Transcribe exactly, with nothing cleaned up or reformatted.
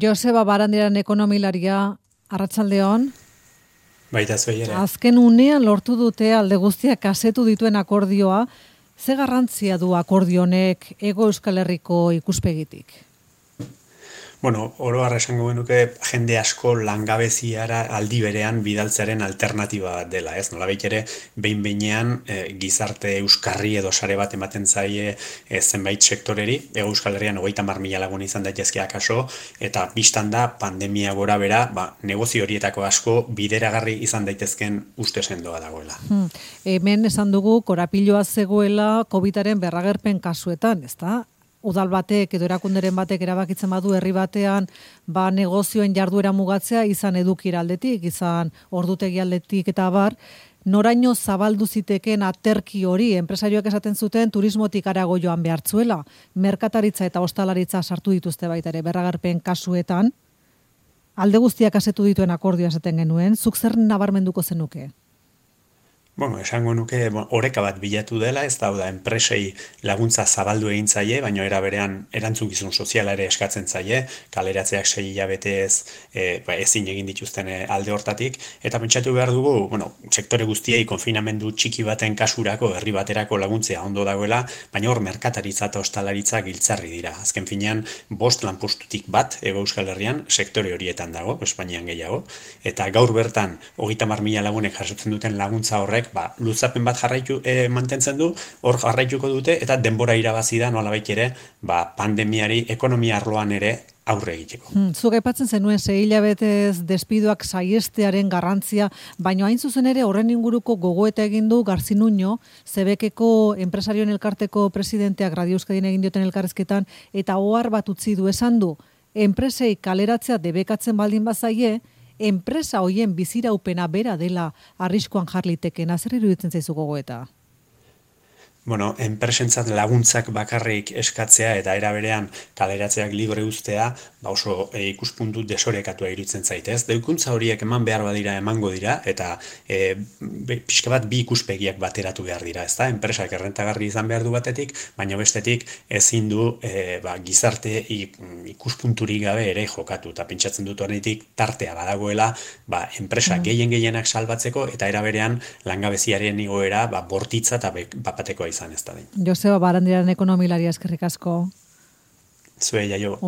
Joseba Barandiaran ekonomilaria, arratsaldeon. Baita zuei ere. Azken unean lortu dute alde guztiak kasetu dituen akordioa, ze garrantzia du akordio honek Hego Euskal Herriko ikuspegitik? Bueno, oro har esango genuke jende asko langabeziara aldi berean bidaltzearen alternatiba bat dela, ez? Nolabait ere behin behinean e, gizarte euskarri edo sare bat ematen zaie e, zenbait sektoreri, Hego Euskal Herrian hogeita hamar mila lagun izan daitezke akaso, eta bistan da pandemia gora bera, ba, negozio horietako asko bideragarri izan daitezken uste sendoa dagoela. Hmm. Hemen esan dugu korapiloa zegoela COVIDaren berragerpen kasuetan, ezta? Udal batek edo erakunderen batek erabakitzen badu herri batean ba negozioen jarduera mugatzea izan edukira aldetik, izan ordutegi aldetik eta abar, noraino zabaldu ziteken aterki hori, enpresarioak esaten zuten turismotik harago joan behartzuela, merkataritza eta ostalaritza sartu dituzte baita ere berragarpen kasuetan, alde guztiak asetu dituen akordioa esaten genuen, zuk zer nabarmenduko zenuke? Bueno, esango nuke bon, oreka bat bilatu dela, ez da, da enpresei laguntza zabaldu egin zaie, baina era berean erantzukizun soziala ere eskatzen zaie, kaleratzeak sei hilabetez e, ba, ezin egin dituzten alde hortatik, eta pentsatu behar dugu, bueno, sektore guztiei konfinamendu txiki baten kasurako, herri baterako laguntzea ondo dagoela, baina hor merkataritza eta ostalaritza giltzarri dira. Azken finean, bost lanpostutik bat, Hego Euskal Herrian, sektore horietan dago, Espainian gehiago, eta gaur bertan, hogeita hamar mila lagunek jasotzen duten laguntza horrek, ba, luzapen bat jarraitu e, mantentzen du, hor jarraituko dute, eta denbora irabazi da nolabait ere, ba, pandemiari, ekonomia arloan ere aurre egiteko. Hmm, zuk aipatzen zenuen sei hilabetez despidoak saiestearen garrantzia, baina hain zuzen ere horren inguruko gogoeta egin du Garzi Nuño, Zebekeko enpresarioen elkarteko presidenteak Radio Euskadin egin dioten elkarrezketan, eta ohar bat utzi du esan du, enpresei kaleratzea debekatzen baldin bazaie, enpresa hoien biziraupena bera dela arriskuan jarliteken, zer iruditzen zaizu gogoeta? Bueno, enpresentzat laguntzak bakarrik eskatzea eta era berean kaleratzeak libre uztea, ba oso e, ikuspuntu desorekatua iruditzen zaitez. Deikuntza horiek eman behar badira emango dira, eta e, pixka bat bi ikuspegiak bateratu behar dira, ezta? Enpresak errentagarri izan behar du batetik, baina bestetik ezin du e, ba, gizarte ikuspunturik gabe ere jokatu, eta pentsatzen dut horretik tartea badagoela, ba, enpresa mm. gehien gehienak salbatzeko, eta era berean langabeziaren igoera ba, bortitza eta bapatekoa izan ez da. Joseba Barandiaran ekonomilaria eskerrik asko. Zuei jaio.